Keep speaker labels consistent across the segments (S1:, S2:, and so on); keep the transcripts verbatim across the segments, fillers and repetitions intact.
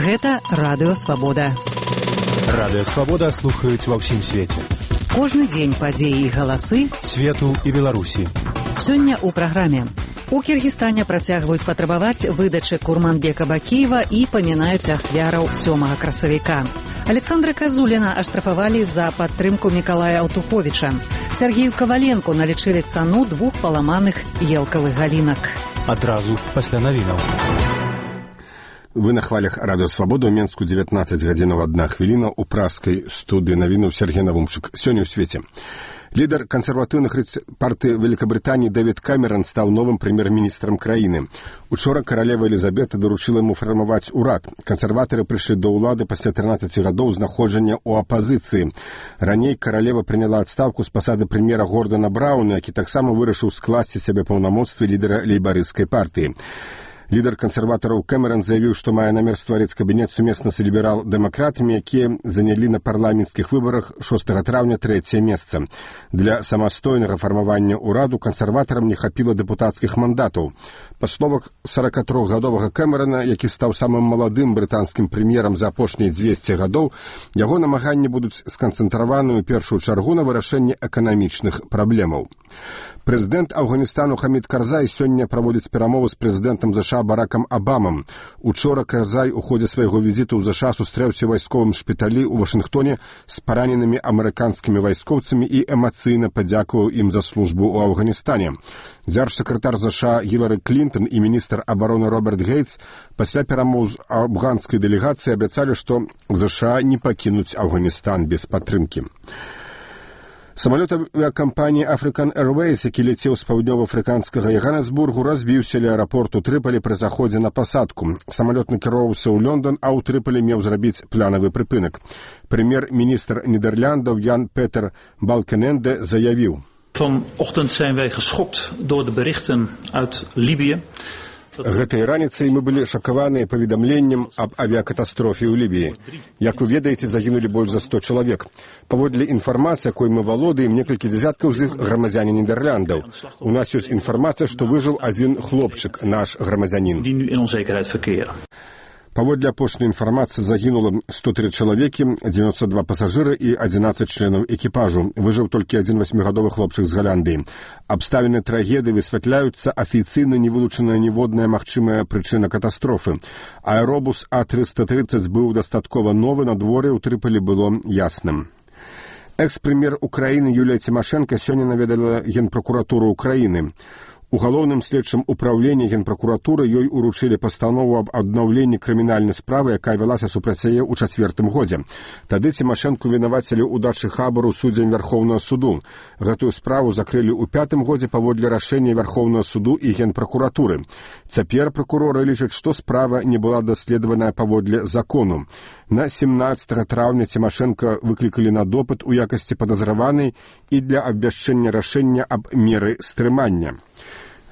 S1: Гэта Радыё Свабода.
S2: Радыё Свабода слухаюць ва ўсім свеце.
S1: Кожны дзень падзеі і галасы
S2: свету і Беларусі.
S1: Сёння ў праграме. У Кіргізстане працягваюць патрабаваць выдачы Курманбека Бакіева і памінаюць ахвяраў сёмага красавіка. Александра Казуліна аштрафавалі за падтрымку Мікалая Аўтуховіча. Сергею Каваленку налічылі цану двух паламаных елкавых галінак.
S2: Адразу пасля навінаў.
S3: Вы на хвалях Радыё Свабода, ў Менску дзевятнаццаць гадзінаў адна хвіліна, у праскай студыі навінаў Сергей Навумчык. Сёння ў свеце. Лідар кансерватыўных партыі Великабрытаніі Дэвід Камерон стаў новым прэм'ер-міністрам краіны. Учора каралева Элізабета даручыла яму фармаваць урад. Кансерватары прыйшлі да ўлады пасля трынаццаці гадоў знаходжання ў апазіцыі. Раней каралева прыняла адстаўку з пасады прэм'ера Гордана Брауна, які таксама вырашыў скласці сябе паўнамоцтвы лідара лейбарысцкай партыі. Лідар кансерватараў Кэмерон заявіў, што мае намер стварыць кабінет сумесна з ліберал-дэмакратамі, якія занялі на парламенцкіх выбарах шостага траўня трэцяе месца. Для самастойнага фармавання ўраду кансерватарам не хапіла дэпутацкіх мандатаў. Па словах саракатрохгадовага Кэмерона, які стаў самым маладым брытанскім прэм'ерам за апошнія дзвесце гадоў, яго намаганні будуць сканцэнтраваны ў першую чаргу на вырашэнні эканамічных праблемаў. Прэзідэнт Афганістану Хамід Карзай сёння праводзіць перамовы з прэзідэнтам ЗША Баракам Абамам. Учора Карзай у ходзе свайго візіту ў ЗША сустрэўся ў вайсковым шпіталі ў Вашынгтоне з параненымі амерыканскімі вайскоўцамі і эмацыйна падзякаваў ім за службу ў Афганістане. Дзяржсакратар ЗША Гілары Клінтон і міністр абароны Роберт Гейтс пасля перамоў з афганскай дэлегацыі абяцалі, што ЗША не пакінуць Афганістан без падтрымкі. Самалёт авіакампаніі African Airways, які ляцеў з паўднёва-афрыканскага Яганесбургу, разбіўся ля аэрапорту Трыполі пры заходзе на пасадку. Самалёт накіроўваўся ў Лондон, а ў Трыполі меў зрабіць планавы прыпынак. Прэм'ер-міністр Нідерляндаў Ян Петер Балкененде заявіў:
S4: Vanochtend zijn wij geschokt door de berichten uit Libië.
S3: Гэтай раніцай мы былі шакаваныя паведамленнем аб авіякатастрофе ў Лібіі. Як вы ведаеце, загінулі больш за сто чалавек. Паводле інфармацыі, якой мы валодаем, некалькі дзясяткаў з іх грамадзяне Нідерландаў. У нас ёсць інфармацыя, што выжыў адзін хлопчык, наш грамадзянін. Паводле апошняй інфармацыі загінула сто тры чалавекі, дзевяносто два пасажыры і адзінаццаць членаў экіпажу. Выжыў толькі адзін васьмігадовы хлопчык з Галандыі. Абставіны трагедыі высвятляюцца, афіцыйна не вылучаная ніводная магчымая прычына катастрофы. Аэробус А трыста трыццаць быў дастаткова новы, надвор'е ў Трыполі было ясным. Экс-прэм'ер Украіны Юлія Цімашэнка сёння наведала Генпракуратуру Украіны. У галоўным следчым управленні Генпракуратуры ёй уручылі пастанову аб аднаўленні крымінальнай справы, якая вялася супраць яе ў чацвёртым годзе. Тады Цімашэнку вінавацілі ў дачы хабару суддзям Вярхоўнага суду. Гэтую справу закрылі ў пятым годзе паводле рашэння Вярхоўнага суду і Генпракуратуры. Цяпер пракуроры лічаць, што справа не была даследаваная паводле закону. На семнаццатага траўня Цімашэнка выклікалі на допыт у якасці падазраванай і для абвяшчэння рашэння аб меры стрымання.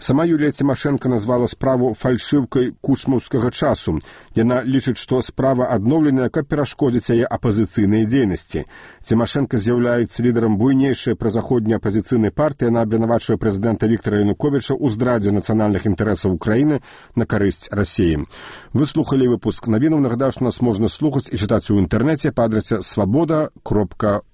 S3: Сама Юлія Цімашэнка назвала справу фальшыўкай кучмаўскага часу. Яна лічыць, што справа адноўленая, каб перашкодзіць яе апазіцыйнай дзейнасці. Цімашэнка з'яўляецца лідарам буйнейшай празаходняй апазіцыйнай партыі. Яна абвінавачвае прэзідэнта Віктара Януковіча ў здрадзе нацыянальных інтарэсаў Украіны на карысць Расіі. Вы слухалі выпуск навінаў. Нагадаю, што нас можна слухаць і чытаць у інтэрнэце па адрасе свабода кропка